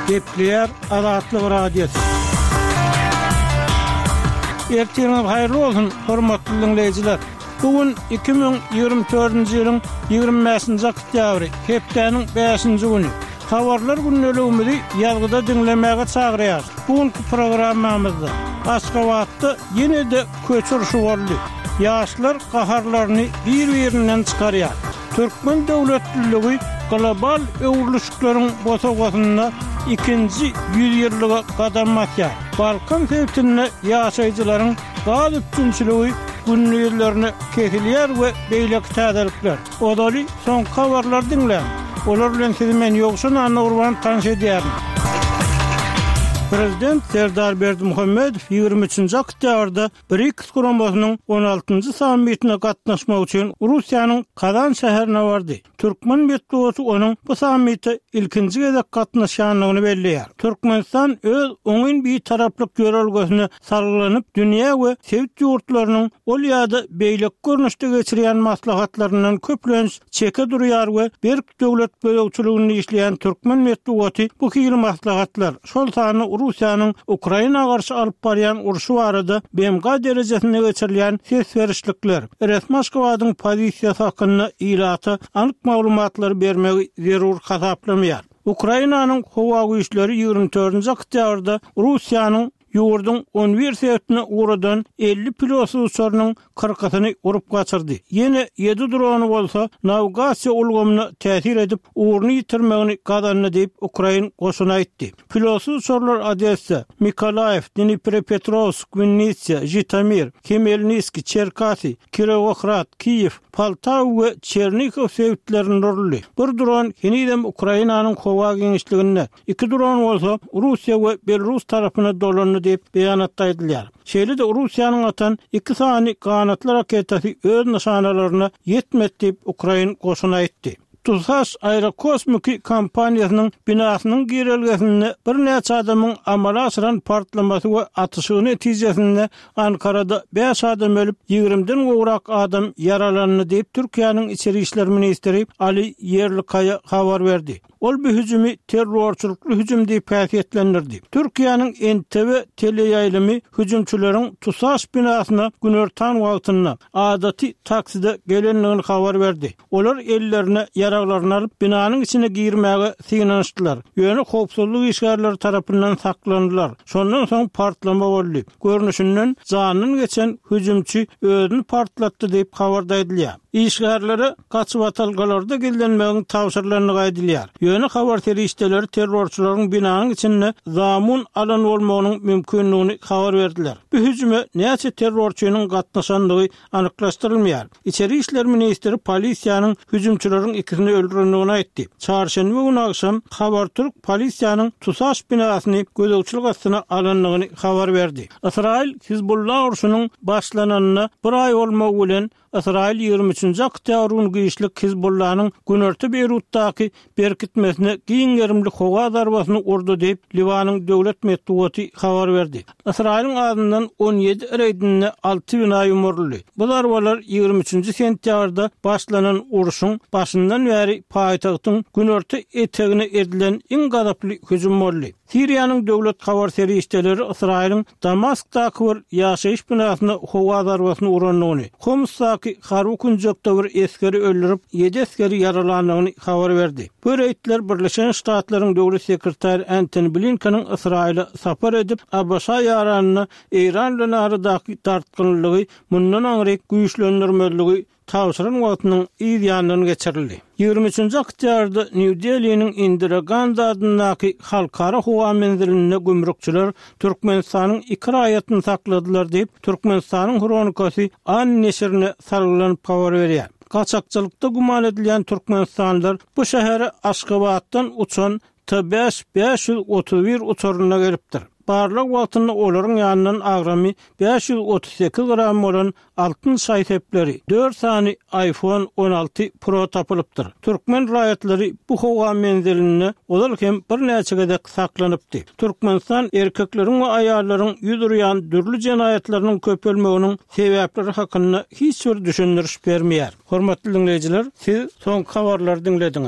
Gepleýär Azatlyk Radiosy. Ertiriňiz haýyrly bolsun, hormatly diňleýjiler! Bu gün 2024-nji ýylyň 25-nji oktýabry, hepdäniň bäşinji güni. Habarlar gündeligimizi ýazgyda diňlemäge çagyrýarys. Bu günki programmamyzda Aşgabatda ýene-de köçe urşy boldy. Ýaşlar gaharlaryny bir-birinden çykarýar. Türkmen döwletliligi global öwrülişikleriň bosagasynda ikinji ýüzýyllyga gadam basýar. Balkan sebitinde ýaşaýjylaryň gaz üpjünçiligi gündizlerine kesilýär we beýleki täzelikler. Ozaly soňky habarlary diňläň. Olar bilen sizi men Ýowşan Annagurban tanyş edýärin. Prezident Serdar Berdimuhamedow 23-nji oktýabrda BRIKS guramasynyň on altynjy sammitine gatnaşmak üçin Russiýanyň Kazan şäherine bardy. Türkmen metbugaty onuň bu sammite ilkinji gezek gatnaşýandygyny belleýär. Türkmenistan öz oňyn bitaraplyk ýörelgesine salgylanyp, dünýä we sebit ýurtlarynyň ol ýa-da beýleki görnüşde geçirýän maslahatlaryndan köplenç çeke durýar we berk Döwlet gözegçiliginde işleýän türkmen metbugaty bu hili maslahatlar, şol sanda Russiýanyň Ukraina garşy alyp barýan urşy barada BMG derejesinde geçirilýän ses berişlikler, resmi Aşgabadyň pozisiýasy hakynda ilata anyk maglumatlary bermegi zerur hasaplamaýar. Ukrainanyň howa güýçleri 24-nji oktýabrda Russiýanyň ýurduň on bir sebitine ugradan 50 pilotsyz uçarynyň kyrkysyny urup gaçyrdy. Ýene ýedi drony bolsa nawigasiýa ulgamyna täsir edip, ugruny ýitirmegini gazandy diýip, ukrain goşuny aýtdy. Pilotsyz uçarlar Odessa, Mykolaýiw, Dniprepetrowsk, Winnitsiýa, Žitomir, Hmelniskiý, Çerkasy, Kirowohrad, Kiýew, Poltawa we Çernihow sebitlerinde uruldy. Bir dron henizem Ukrainanyň howa giňişliginde, Iki dron bolsa Russiýa we Belarus tarapyna dolandy diýip, beýanatda aýdylýar. Şeýle-de Russiýanyň atan iki sany ganatly raketasy öz nyşanalaryna ýetmedi diýip, ukrain goşuny aýtdy. TUSAŞ aerokosmiki kompaniýasynyň binasynyň girelgesinde birnäçe adamyň amala aşyran partlamasy we atyşygy netijesinde Ankarada bäş adam ölüp, ýigrimden gowrak adam ýaralandy diýip, Türkiýäniň içeri işler ministri Ali Ýerlikaýa habar berdi. Ol bu hüjümi terrorçylykly hüjüm diýip häsiýetlendirdi. Türkiýäniň NTV teleýaýlymy hüjümçileriň TUSAŞ binasyna günortan wagtynda, adaty takside gelendigini habar berdi. Olar ellerine ýaraglaryny alyp, binanyň içine girmäge synanyşdylar. Ýöne howpsuzlyk işgärleri tarapyndan saklandylar. Şondan soň partlama boldy. Görnüşinden, janyndan geçen hüjümçi özüni partlatdy diýip, habarda aýdylýar. Işgärlere gaçybatalgalarda gizlenmegiň tabşyrylandygy aýdylýar. Ýöne habar serişdeleri terrorçylaryň binanyň içinde zamun alan bolmagynyň mümkindigini habar berdiler. Bu hüjüme näçe terrorçynyň gatnaşandygy anyklaşdyrylmaýar. Içeri işler ministri polisiýanyň hüjümçileriň ikisini öldürendigini aýtdy. Çarşenbe güni agşam Habartürk polisiýanyň TUSAŞ binasyny gözegçilik astyna alandygyny habar berdi. Ysraýyl-Hizbullah urşunyň başlananyna bir aý bolmagy bilen, Ysraýyl 23-nji oktýabr güni giçlik Hizbullanyň günorta Beýrutdaky berkitmesine giň gerimli howa zarbasyny urdy diýip, Liwanyň döwlet metbugaty habar berdi. Ysraýylyň azyndan 17 reýdinde alty bina ýumruldy. Bu zarbalar 23-nji sentýabrda başlanan urşuň başyndan bäri paýtagtyň günorta etegine edilen iň gazaply hüjüm boldy. Siriýanyň döwlet habar serişdeleri Ysraýylyň Damaskdaky bir ýaşaýyş binasyna howa zarbasyny urandygyny, Homsdaky harby künjekde bir esgeri öldürip, ýedi esgeri ýaralandygyny habar berdi. Bu reýdler Birleşen Ştatlaryň döwlet sekretary Entoni Blinkeniň Ysraýyla sapar edip, ABŞ-a ýaranyna Eýran bilen aradaky dartgynlylygy mundan aňryk güýçlendirmezligi tabşyran wagtynyň yz ýanyndan geçirildi. 23-nji oktýabrda Nýu-Deliniň Indira Gandi adyndaky Halkara howa menzilinde gümrükçiler Türkmenistanyň iki raýatyny sakladylar diýip, Türkmenistanyň Hronikasy An neşirine salgylanyp habar berýär. Gaçakçylykda güman edilýän türkmenistanlylar bu şähere Aşgabatdan uçan T-bäş 531 uçarynda gelipdir. Barlag wagtynda olaryň ýanyndan agramy 538 gram bolan altyn şaý-sepleri, dört sany iPhone 16 Pro tapylypdyr. Türkmen raýatlary bu howa menzilinde ozal hem birnäçe gezek saklanypdy. Türkmenistan erkekleriň we aýallaryň ýüz urýan dürli jenaýatlarynyň köpelmeginiň sebäpleri hakynda hiç bir düşündiriş bermeýär. Hormatly diňleýjiler, siz soňky habarlary diňlediňiz.